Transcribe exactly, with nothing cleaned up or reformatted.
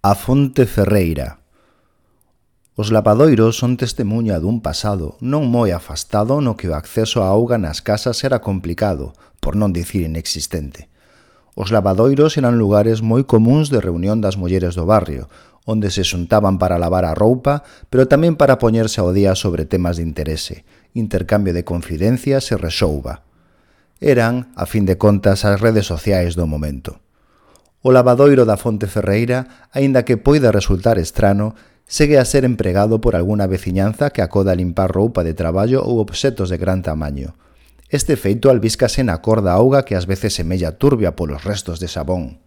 A fonte ferreira. Os lavadoiros son testemunha dun pasado non moi afastado no que o acceso á auga nas casas era complicado, por non dicir inexistente. Os lavadoiros eran lugares moi comúns de reunión das mulleres do barrio, onde se xuntaban para lavar a roupa, pero tamén para poñerse ao día sobre temas de interese, intercambio de confidencias e rexouba. Eran, a fin de contas, as redes sociais do momento. O lavadoiro da fonte ferreira, aínda que poida resultar estrano, segue a ser empregado por algunha veciñanza que acoda a limpar roupa de traballo ou obxetos de gran tamaño. Este feito albíscase na cor da auga que ás veces semella turbia polos restos de sabón.